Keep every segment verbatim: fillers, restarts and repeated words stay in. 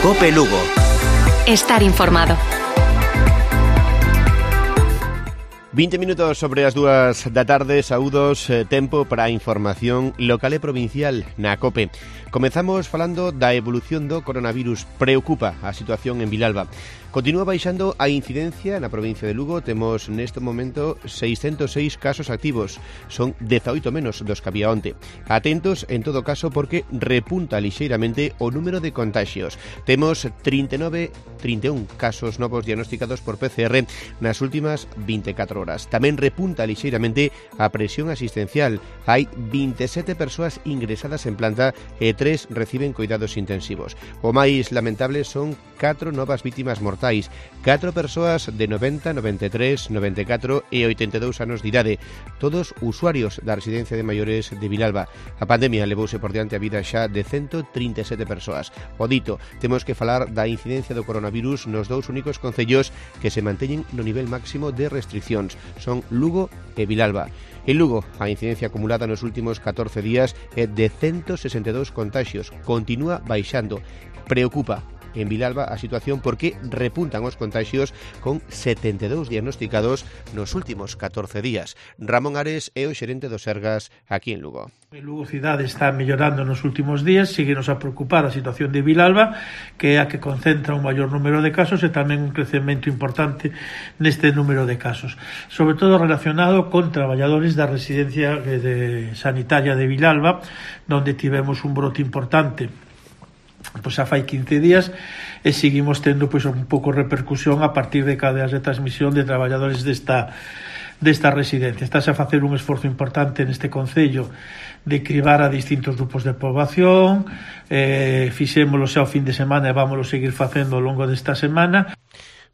COPE Lugo. Estar informado. vinte minutos sobre as dúas da tarde, saúdos, eh, tempo para a información local e provincial na COPE. Comezamos falando da evolución do coronavirus. Preocupa a situación en Vilalba. Continúa baixando a incidencia na provincia de Lugo. Temos neste momento seiscentos seis casos activos. Son dezaoito menos dos que había onte. Atentos, en todo caso, porque repunta lixeiramente o número de contagios. Temos trinta e nove, trinta e un casos novos diagnosticados por P C R nas últimas vinte e catro horas. Tamén repunta lixeiramente a presión asistencial. Hai vinte e sete persoas ingresadas en planta e tres reciben cuidados intensivos. O máis lamentable son catro novas vítimas mortais. Catro persoas de noventa, noventa e tres, noventa e catro e oitenta e dous anos de idade. Todos usuarios da residencia de maiores de Vilalba. A pandemia levouse por diante a vida xa de ciento trinta e sete persoas. O dito, temos que falar da incidencia do coronavirus nos dous únicos concellos que se manteñen no nivel máximo de restriccións. Son Lugo e Vilalba. En Lugo, a incidencia acumulada nos últimos catorce días é de ciento sesenta e dous contagios. Continúa baixando. Preocupa en Vilalba a situación porque repuntan os contagios con setenta e dous diagnosticados nos últimos catorce días. Ramón Ares é o xerente do Sergas aquí en Lugo. En Lugo cidade está mellorando nos últimos días, síguenos a preocupar a situación de Vilalba, que é a que concentra un maior número de casos e tamén un crecemento importante neste número de casos, sobre todo relacionado con traballadores da residencia de sanitaria de Vilalba, donde tivemos un brote importante pois xa fai quince días e seguimos tendo pois un pouco repercusión a partir de cadeas de transmisión de traballadores desta desta residencia. Estás a facer un esforzo importante neste concello de cribar a distintos grupos de poboación, eh, fixémolo xa o fin de semana e vámoslo seguir facendo ao longo desta semana.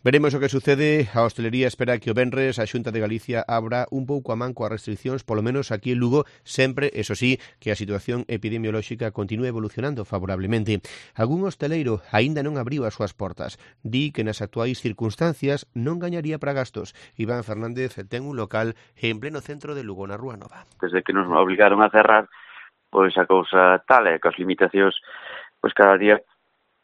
Veremos o que sucede. A hostelería espera que o venres a Xunta de Galicia abra un pouco a man coas restriccións, polo menos aquí en Lugo, sempre, eso sí, que a situación epidemiolóxica continúe evolucionando favorablemente. Algún hosteleiro aínda non abriu as súas portas. Di que nas actuais circunstancias non gañaría para gastos. Iván Fernández ten un local en pleno centro de Lugo, na Rúa Nova. Desde que nos obligaron a cerrar, pois a cousa tal é que as limitacións, pois cada día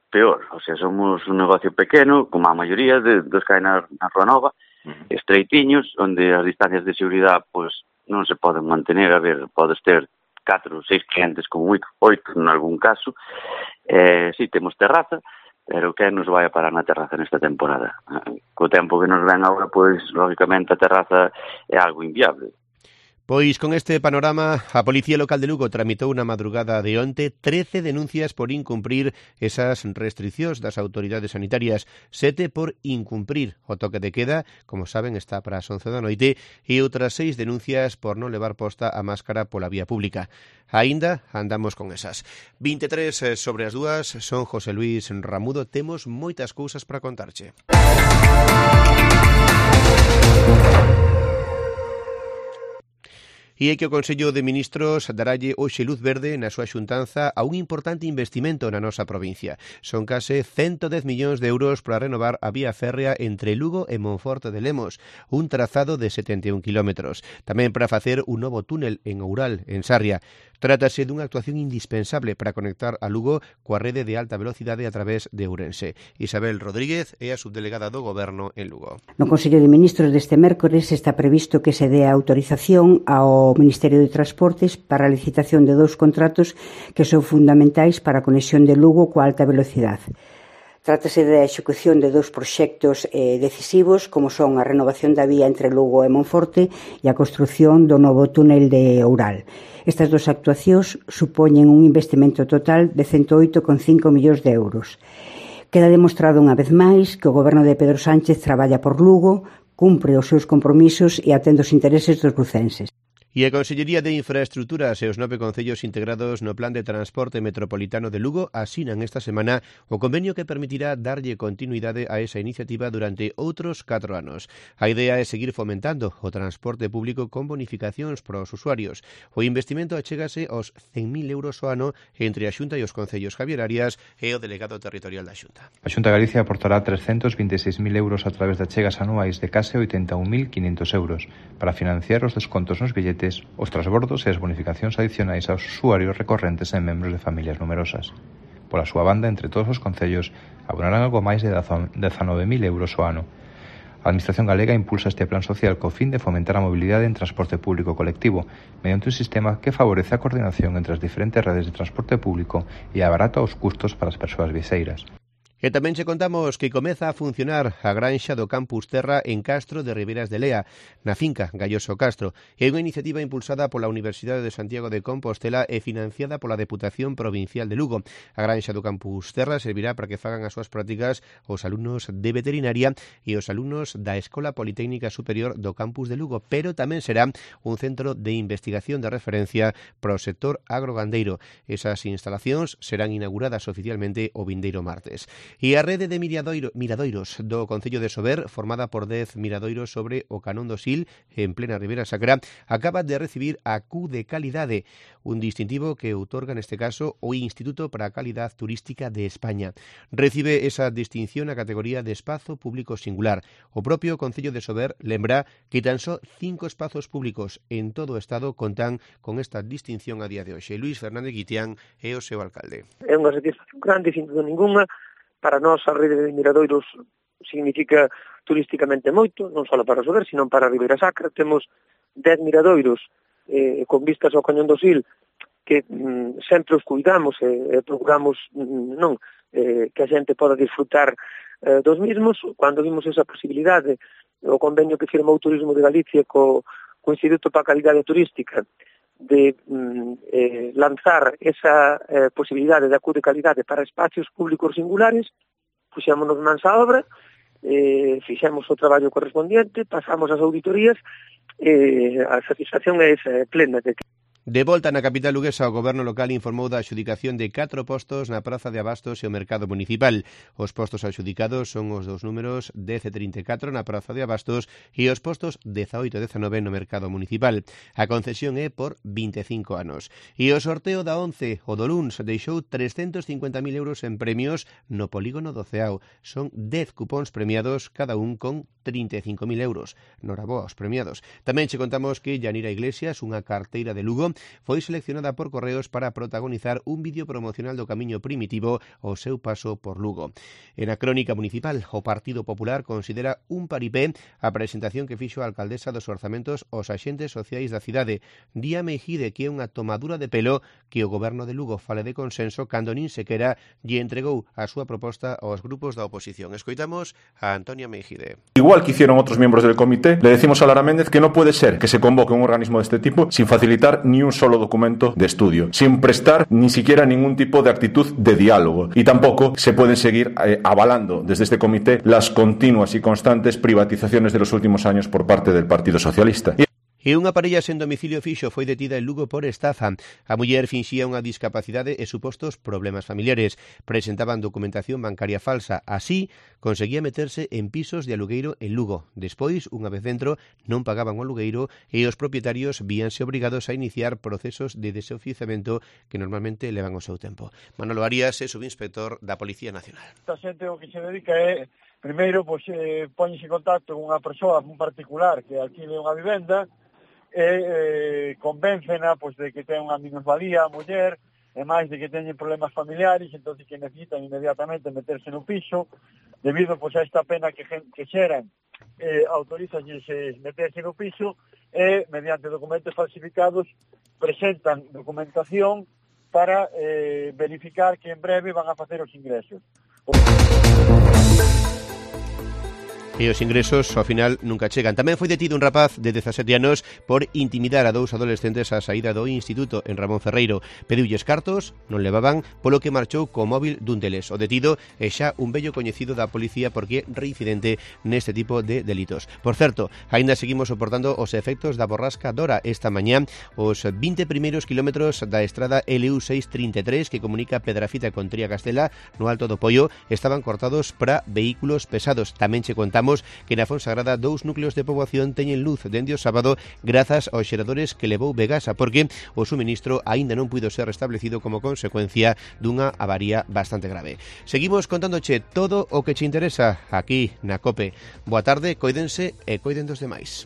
peor, o sea, somos un negocio pequeno, como a maioría de, dos que hai na, na Rúa Nova, uh-huh. estreitiños, onde as distancias de seguridade pois non se poden mantener. A ver, podes ter catro ou seis clientes, como oito, oito en algún caso. Eh, si, sí, temos terraza, pero que nos vai a parar na terraza nesta temporada? Co tempo que nos ven agora, pois, lógicamente, a terraza é algo inviable. Pois con este panorama, a Policía Local de Lugo tramitou na madrugada de onte trece denuncias por incumprir esas restriccións das autoridades sanitarias, sete por incumprir o toque de queda, como saben está para as once da noite, e outras seis denuncias por non levar posta a máscara pola vía pública. Aínda andamos con esas. vinte e tres sobre as dúas, son José Luis Ramudo, temos moitas cousas para contarche. E é que o Consello de Ministros daralle hoxe luz verde na súa xuntanza a un importante investimento na nosa provincia. Son case ciento dez millóns de euros para renovar a vía férrea entre Lugo e Monforte de Lemos, un trazado de setenta e un kilómetros. Tamén para facer un novo túnel en Oural, en Sarria. Trátase dunha actuación indispensable para conectar a Lugo coa rede de alta velocidade a través de Ourense. Isabel Rodríguez é a subdelegada do Goberno en Lugo. No Consello de Ministros deste mércores está previsto que se dé a autorización ao Ministerio de Transportes para a licitación de dous contratos que son fundamentais para a conexión de Lugo coa alta velocidade. Trátase da execución de dous proxectos eh, decisivos, como son a renovación da vía entre Lugo e Monforte e a construción do novo túnel de Oural. Estas dúas actuacións supoñen un investimento total de ciento oito coma cinco millóns de euros. Queda demostrado unha vez máis que o Goberno de Pedro Sánchez traballa por Lugo, cumpre os seus compromisos e atende os intereses dos lucenses. E a Consellería de Infraestructuras e os nove concellos integrados no Plan de Transporte Metropolitano de Lugo asinan esta semana o convenio que permitirá darlle continuidade a esa iniciativa durante outros catro anos. A idea é seguir fomentando o transporte público con bonificacións para os usuarios. O investimento achégase aos cen mil euros ao ano entre a Xunta e os concellos Javier Arias e o delegado territorial da Xunta. A Xunta de Galicia aportará trescentos vinte e seis mil euros a través de achegas anuais de case oitenta e un mil quinhentos euros para financiar os descontos nos billetes, os transbordos e as bonificacións adicionais aos usuarios recorrentes e membros de familias numerosas. Pola súa banda, entre todos os concellos, abonarán algo máis de dezanove mil euros ao ano. A Administración galega impulsa este plan social co fin de fomentar a mobilidade en transporte público colectivo mediante un sistema que favorece a coordinación entre as diferentes redes de transporte público e abarata os custos para as persoas viaxeiras. E tamén che contamos que comeza a funcionar a granxa do Campus Terra en Castro de Riberas de Lea, na finca Galloso Castro. É unha iniciativa impulsada pola Universidade de Santiago de Compostela e financiada pola Deputación Provincial de Lugo. A granxa do Campus Terra servirá para que fagan as súas prácticas os alumnos de veterinaria e os alumnos da Escola Politécnica Superior do Campus de Lugo, pero tamén será un centro de investigación de referencia para o sector agrogandeiro. Esas instalacións serán inauguradas oficialmente o vindeiro martes. E a rede de miradoiro, miradoiros do Concello de Sober, formada por dez miradoiros sobre o Canón do Sil, en plena Ribeira Sacra, acaba de recibir a Q de calidade, un distintivo que outorga neste caso o Instituto para a Calidad Turística de España. Recibe esa distinción a categoría de espazo público singular. O propio Concello de Sober lembra que tan só cinco espazos públicos en todo o Estado contan con esta distinción a día de hoxe. Luís Fernández Guitián é o seu alcalde. É unha satisfacción grande, sin duda ninguna. Para nós a rede de miradoiros significa turísticamente moito, non só para Sober, sino para a Ribeira Sacra. Temos dez miradoiros eh, con vistas ao Cañón do Sil que mm, sempre os cuidamos e eh, procuramos mm, non eh, que a xente poda disfrutar eh, dos mismos. Cando vimos esa posibilidade, o convenio que firmou o Turismo de Galicia co, co Instituto para a Calidade Turística de mm, eh, lanzar esa eh, posibilidade de Q de calidade para espacios públicos singulares, puxémonos mans á obra, eh, fixemos o traballo correspondiente, pasamos as auditorías, e eh, a satisfacción é esa, plena de que De volta na capital luguesa, o goberno local informou da adxudicación de catro postos na Praza de Abastos e o Mercado Municipal. Os postos adxudicados son os dos números dez e trinta e catro na Praza de Abastos e os postos dezaoito e dezanove no Mercado Municipal. A concesión é por vinte e cinco anos. E o sorteo da once, o do luns, deixou trescentos cincuenta mil euros en premios no polígono do Ceao. Son dez cupóns premiados, cada un con trinta e cinco mil euros. Noraboa aos premiados. Tamén che contamos que Yanira Iglesias, unha carteira de Lugo, foi seleccionada por Correos para protagonizar un vídeo promocional do Camiño Primitivo ao seu paso por Lugo. En a crónica municipal, o Partido Popular considera un paripé a presentación que fixo a alcaldesa dos orzamentos aos axentes sociais da cidade. Día Meijide que é unha tomadura de pelo que o goberno de Lugo fale de consenso cando nin sequera lle entregou a súa proposta aos grupos da oposición. Escoitamos a Antonia Meijide. Igual que hicieron otros miembros del comité, le decimos a Lara Méndez que no puede ser que se convoque un organismo de este tipo sin facilitar ni un solo documento de estudio, sin prestar ni siquiera ningún tipo de actitud de diálogo, y tampoco se pueden seguir eh, avalando desde este comité las continuas y constantes privatizaciones de los últimos años por parte del Partido Socialista. Y E unha parella sen domicilio fixo foi detida en Lugo por estafa. A muller finxía unha discapacidade e supostos problemas familiares. Presentaban documentación bancaria falsa. Así, conseguía meterse en pisos de alugueiro en Lugo. Despois, unha vez dentro, non pagaban o alugueiro e os propietarios víanse obrigados a iniciar procesos de desoficiamento que normalmente levan o seu tempo. Manolo Arias é subinspector da Policía Nacional. A xente o que se dedica é, primeiro, pois, eh, poñese en contacto con unha persoa, un particular que alquile unha vivenda, e eh, convéncena pois, de que ten unha minusvalía a muller, e máis de que teñen problemas familiares, entón que necesitan inmediatamente meterse no piso, debido pois, a esta pena que, que xeran, eh, autorizanlles meterse no piso, e mediante documentos falsificados presentan documentación para eh, verificar que en breve van a facer os ingresos. E os ingresos, ao final, nunca chegan. Tamén foi detido un rapaz de dezasete anos por intimidar a dous adolescentes á saída do instituto en Ramón Ferreiro. Pediulles cartos, non levaban, polo que marchou co móvil dun deles. O detido é xa un vello coñecido da policía porque é reincidente neste tipo de delitos. Por certo, aínda seguimos soportando os efectos da borrasca Dora. Esta mañá, os vinte primeiros kilómetros da estrada L U seiscentos trinta e tres que comunica Pedrafita con Tría Castela no Alto do Poio estaban cortados para vehículos pesados. Tamén che contamos que na Fonsagrada dous núcleos de poboación teñen luz dende o sábado grazas aos xeradores que levou Vegasa, porque o suministro aínda non puido ser restablecido como consecuencia dunha avaría bastante grave. Seguimos contándoche todo o que che interesa aquí na COPE. Boa tarde, coídense e coiden dos demais.